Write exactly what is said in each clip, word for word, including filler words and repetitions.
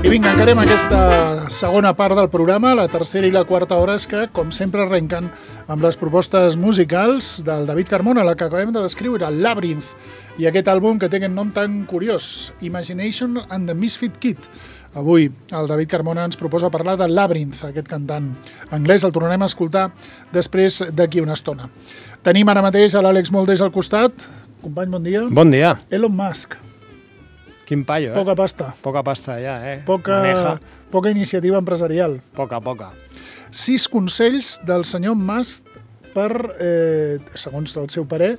I vinga, encarem aquesta segona part del programa, la tercera i la quarta hores que, com sempre, arrenquen amb les propostes musicals del David Carmona, la que acabem de descriure, Labyrinth, i aquest àlbum que té aquest nom tan curiós, Imagination and the Misfit Kid. Avui el David Carmona ens proposa parlar de Labyrinth, aquest cantant anglès, el tornarem a escoltar després d'aquí una estona. Tenim ara mateix a l'Àlex Moldés al costat. Company, bon dia. Bon dia. Elon Musk. Quin paio, eh? Poca pasta. Poca pasta, ja, eh? Poca, Maneja. poca iniciativa empresarial. Poca, poca. Sis consells del senyor Musk per, eh, segons el seu parer,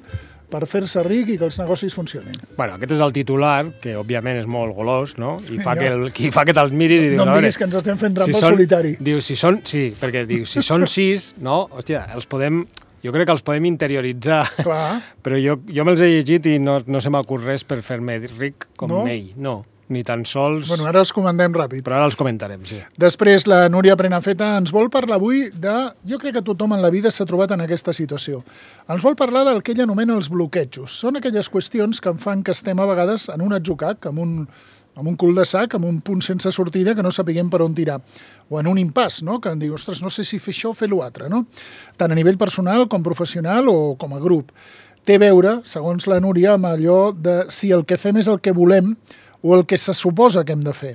per fer-se ric i que els negocis funcionin. Bueno, aquest és el titular, que òbviament és molt golós, no? I fa que, el, qui fa que te'ls miris i dius... No em diguis que ens estem fent trampa si al solitari. Diu, si són... Sí, perquè diu, si són sis, no? Hòstia, els podem... Jo crec que els podem interioritzar. Clar. Però jo, jo me'ls he llegit i no, no se m'acut res per fer-me ric com no? ell. No, ni tan sols... Bueno, ara els comentem ràpid. Però ara els comentarem, sí. Després, la Núria Prenafeta ens vol parlar avui de... Jo crec que tothom en la vida s'ha trobat en aquesta situació. Ens vol parlar del que ella anomena els bloquejos. Són aquelles qüestions que en fan que estem a vegades en un atzucac, amb un, amb un cul de sac, amb un punt sense sortida que no sapiguem per on tirar. O en un impàs, no? Que em diu, ostres, no sé si fer això o fer l'altre, no? Tant a nivell personal com professional o com a grup. Té a veure, segons la Núria, amb allò de si el que fem és el que volem o el que se suposa que hem de fer.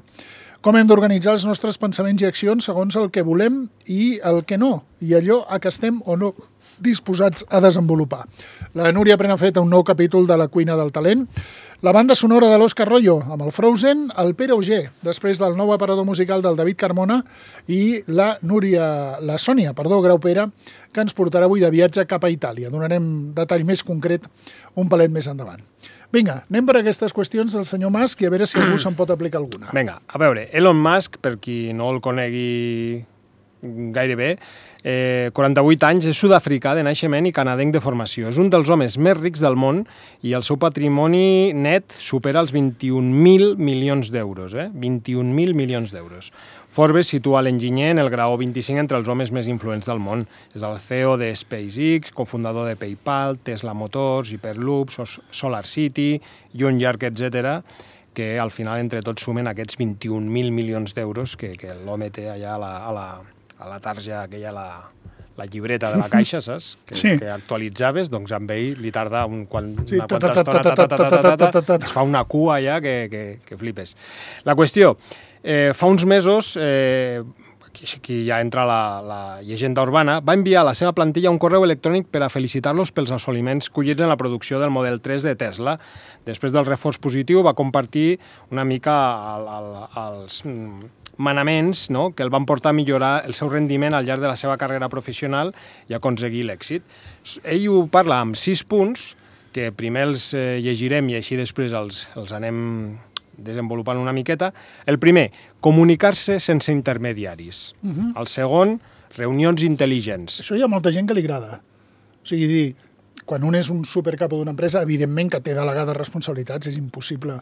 Com hem d'organitzar els nostres pensaments i accions segons el que volem i el que no, i allò a què estem o no disposats a desenvolupar. La Núria Prenafeta, un nou capítol de La cuina del talent. La banda sonora de l'Òscar Royo, amb el Frozen, el Pere Auger, després del nou aparador musical del David Carmona, i la Núria, la Sònia, perdó, Graupera, que ens portarà avui de viatge cap a Itàlia. Donarem detall més concret un palet més endavant. Vinga, anem per aquestes qüestions del senyor Musk i a veure si algú se'n pot aplicar alguna. Vinga, a veure, Elon Musk, per qui no el conegui gaire bé, eh, quaranta-vuit anys, és sud-africà de naixement i canadenc de formació. És un dels homes més rics del món i el seu patrimoni net supera els vint-i-un mil milions d'euros. Eh? vint-i-un mil milions d'euros. Forbes situa l'enginyer en el graó vint-i-cinc entre els homes més influents del món. És el C E O de SpaceX, cofundador de PayPal, Tesla Motors, Hyperloop, SolarCity i un llarg etcètera, que al final entre tots sumen aquests vint-i-un mil milions d'euros que, que l'home té allà a la, a la, a la tarja, aquella, la, la llibreta de la caixa, saps? Que, sí. que actualitzaves, doncs amb ell li tarda un, quan, sí, una quanta estona, es fa una cua allà que, que, que flipes. La qüestió, eh, fa uns mesos, eh, aquí ja entra la, la llegenda urbana, va enviar a la seva plantilla un correu electrònic per a felicitar-los pels assoliments collits en la producció del Model tres de Tesla. Després del reforç positiu va compartir una mica el, el, els manaments, no?, que el van portar a millorar el seu rendiment al llarg de la seva carrera professional i aconseguir l'èxit. Ell ho parla amb sis punts, que primer els eh, llegirem i així després els, els anem desenvolupant una miqueta. El primer, comunicar-se sense intermediaris. Uh-huh. El segon, reunions intel·ligents. Això hi ha molta gent que li agrada. O sigui, dir, quan un és un supercapo d'una empresa, evidentment que té delegades responsabilitats, és impossible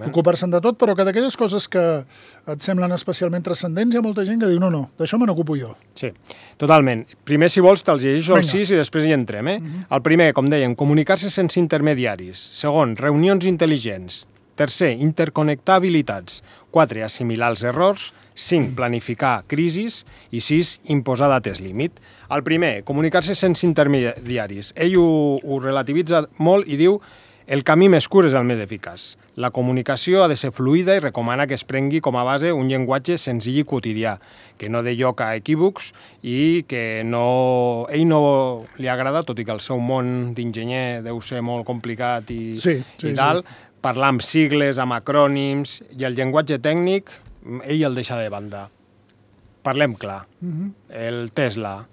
ocupar-se'n de tot, però que d'aquelles coses que et semblen especialment transcendents, hi ha molta gent que diu, no, no, d'això me n'ocupo jo. Sí, totalment. Primer, si vols, te'ls llegeixo els sis i després hi entrem. Eh? Uh-huh. El primer, com dèiem, comunicar-se sense intermediaris. Segon, reunions intel·ligents. Tercer, interconnectar habilitats. Quatre, assimilar els errors. Cinc, planificar crisis. I sis, imposar dates límit. El primer, comunicar-se sense intermediaris. Ell ho, ho relativitza molt i diu el camí més curt és el més eficaç. La comunicació ha de ser fluida i recomana que es prengui com a base un llenguatge senzill i quotidià, que no dé lloc a equívocs i que no, ell no li agrada, tot i que el seu món d'enginyer deu ser molt complicat i, sí, sí, i tal, sí. Parlar amb sigles, amb acrònims, i el llenguatge tècnic, ell el deixa de banda. Parlem clar. Uh-huh. El Tesla,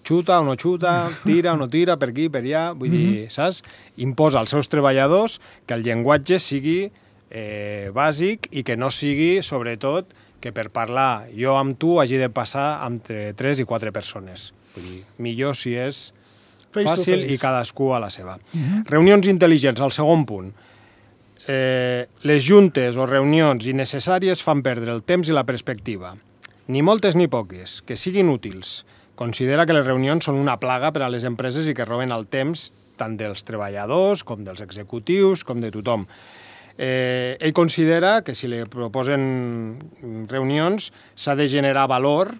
xuta o no xuta, tira o no tira, per aquí, per allà, vull uh-huh. dir, saps? Imposa als seus treballadors que el llenguatge sigui eh, bàsic i que no sigui, sobretot, que per parlar jo amb tu hagi de passar entre tres i quatre persones. Vull dir, millor si és face fàcil i cadascú a la seva. Uh-huh. Reunions intel·ligents, el segon punt. Eh, les juntes o reunions innecessàries fan perdre el temps i la perspectiva. Ni moltes ni poques, que siguin útils. Considera que les reunions són una plaga per a les empreses i que roben el temps tant dels treballadors com dels executius, com de tothom. Eh, ell considera que si li proposen reunions s'ha de generar valor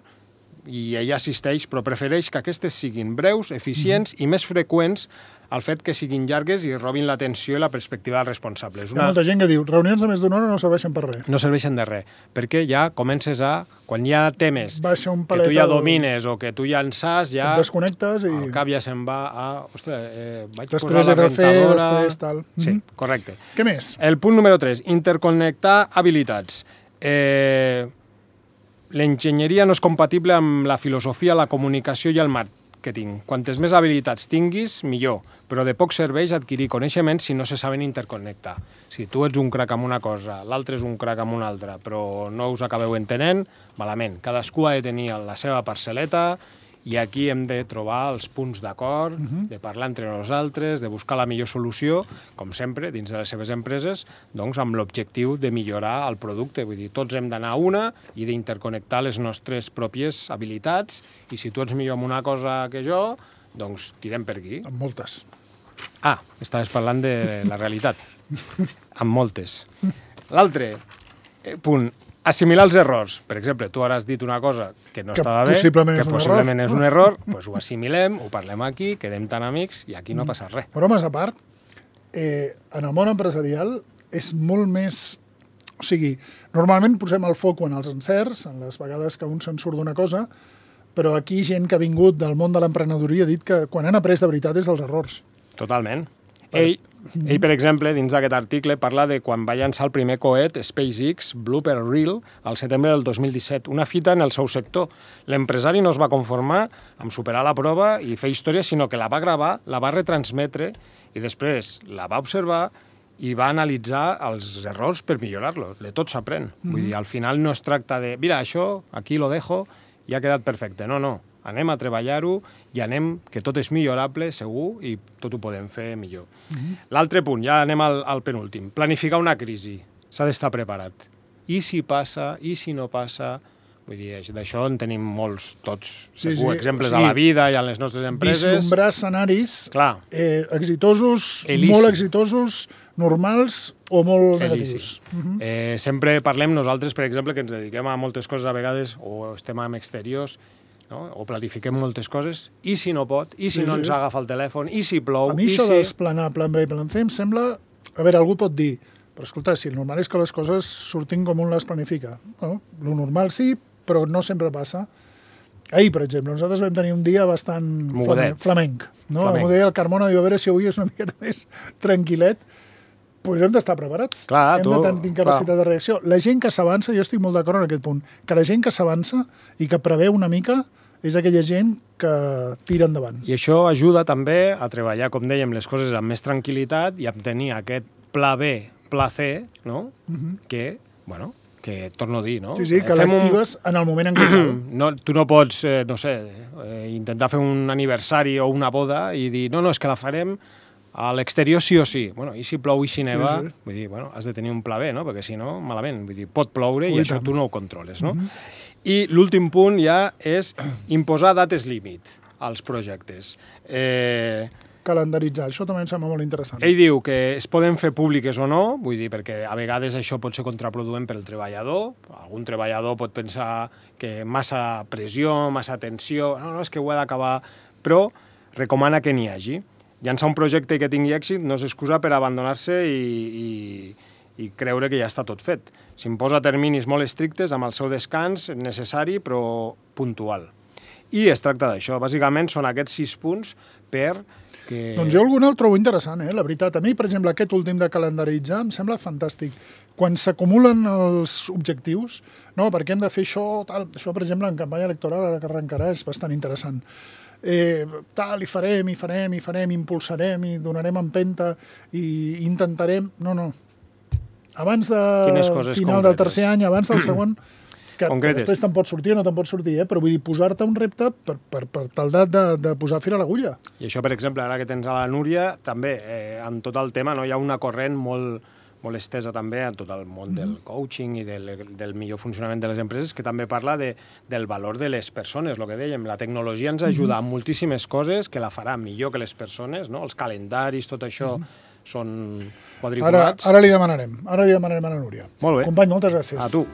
i ell assisteix, però prefereix que aquestes siguin breus, eficients mm-hmm. i més freqüents al fet que siguin llargues i robin l'atenció i la perspectiva dels responsables. Una... Hi ha molta gent que diu reunions de més d'una hora no serveixen per res. No serveixen de res, perquè ja comences a... Quan hi ha temes un que tu ja domines o que tu ja en saps, ja... Et desconnectes i... El cap ja se'n va a... Ostres, eh, vaig després posar la de rentadora... Fer, després tal. Sí, mm-hmm. correcte. Què més? El punt número tres, interconnectar habilitats. Eh... L'enginyeria no és compatible amb la filosofia, la comunicació i el màrqueting. Quantes més habilitats tinguis, millor, però de poc serveix adquirir coneixements si no se saben interconnectar. Si tu ets un crac amb una cosa, l'altre és un crac amb una altra, però no us acabeu entenent, malament. Cadascú ha de tenir la seva parcel·leta i aquí hem de trobar els punts d'acord, uh-huh. de parlar entre nosaltres, de buscar la millor solució, com sempre, dins de les seves empreses, doncs amb l'objectiu de millorar el producte. Vull dir, tots hem d'anar a una i d'interconnectar les nostres pròpies habilitats, i si tu ets millor en una cosa que jo, doncs tirem per aquí. Amb moltes. Ah, estaves parlant de la realitat. Amb moltes. L'altre punt, assimilar els errors. Per exemple, tu ara has dit una cosa que no que estava bé, possiblement que és possiblement un és un error, doncs ho assimilem, ho parlem aquí, quedem tan amics i aquí no passa res. Però, més a part, eh, en el món empresarial és molt més... O sigui, normalment posem el foc en els encerts, en les vegades que un se'n surt d'una cosa, però aquí gent que ha vingut del món de l'emprenedoria ha dit que quan han après de veritat és dels errors. Totalment. Ell, ell, per exemple, dins d'aquest article, parla de quan va llançar el primer coet SpaceX Blooper Reel al setembre del dos mil disset, una fita en el seu sector. L'empresari no es va conformar amb superar la prova i fer història, sinó que la va gravar, la va retransmetre i després la va observar i va analitzar els errors per millorar-lo. De tot s'aprèn. Mm-hmm. Vull dir, al final no es tracta de mira, això, aquí lo dejo i ha quedat perfecte. No, no. Anem a treballar-ho i anem, que tot és millorable, segur, i tot ho podem fer millor. Mm-hmm. L'altre punt, ja anem al, al penúltim. Planificar una crisi. S'ha d'estar preparat. I si passa, i si no passa... Vull dir, d'això en tenim molts, tots, sí, segur, sí. exemples Sí. a la vida i a les nostres empreses. Vislumbrar escenaris Clar. eh, exitosos, Elisi. molt exitosos, normals o molt negatius. Uh-huh. eh, sempre parlem nosaltres, per exemple, que ens dediquem a moltes coses a vegades, o estem en exteriors, no? O planifiquem moltes coses, i si no pot, i si Sí, no sí. ens agafa el telèfon, i si plou, A mi i això si... d'esplanar plan B i plan C em sembla... A veure, algú pot dir, però escolta, si el normal és que les coses surtin com un les planifica. Bueno, lo normal sí, però no sempre passa. Ahir, per exemple, nosaltres vam tenir un dia bastant Mogudet. flamenc. No? Flamenc. M'ho deia el Carmona, diu, a veure si avui és una miqueta més tranquil·let. Pues hem d'estar preparats. Clar, hem tu- de tenir capacitat clar. de reacció. La gent que s'avança, jo estic molt d'acord en aquest punt, que la gent que s'avança i que preveu una mica és aquella gent que tira endavant. I això ajuda també a treballar, com dèiem, les coses amb més tranquil·litat i a tenir aquest pla B, pla C, no? Uh-huh. que, bueno, que torno a dir, no? Sí, sí, que Fem un- l'actives en el moment en què cal. No, tu no pots, eh, no sé, eh, intentar fer un aniversari o una boda i dir, no, no, és que la farem a l'exterior sí o sí. Bueno, i si plou i si neva, Sí, sí. vull dir, bueno, has de tenir un pla B, no? Perquè si no, malament. Vull dir, pot ploure Ui, i això tant. tu no ho controles, no? Uh-huh. I l'últim punt ja és imposar dates límit als projectes. Eh, Calendaritzar, això també em sembla molt interessant. ell diu que es poden fer públiques o no, vull dir, perquè a vegades això pot ser contraproduent per al treballador. Algun treballador pot pensar que massa pressió, massa tensió, no, no, és que ho he d'acabar, però recomana que n'hi hagi. Llançar un projecte que tingui èxit no és excusa per abandonar-se i, i, i creure que ja està tot fet. S'imposa terminis molt estrictes amb el seu descans necessari però puntual. I es tracta d'això. Bàsicament són aquests sis punts per que... Doncs jo algun el trobo interessant, eh? La veritat. A mi, per exemple, aquest últim de calendaritzar em sembla fantàstic. Quan s'acumulen els objectius, no, perquè hem de fer això, tal, això, per exemple, en campanya electoral, ara que arrencarà, és bastant interessant. Eh, tal, i farem, i farem, i farem, impulsarem, i donarem empenta, i intentarem... No, no. Abans de final del tercer any, abans del segon, que, que després te'n pot sortir o no te'n pot sortir, eh? Però vull dir, posar-te un repte per, per, per tal de, de, de posar fil a l'agulla. I això, per exemple, ara que tens a la Núria, també, eh, amb tot el tema, no, hi ha una corrent molt, molt estesa també a tot el món del coaching i del, del millor funcionament de les empreses, que també parla de, del valor de les persones, el que dèiem. La tecnologia ens ajuda a moltíssimes coses que la farà millor que les persones, no? Els calendaris, tot això, són Ara, quadriculats. ara li demanarem. Ara li demanarem a la Núria. Molt bé. Company, moltes gràcies. A tu.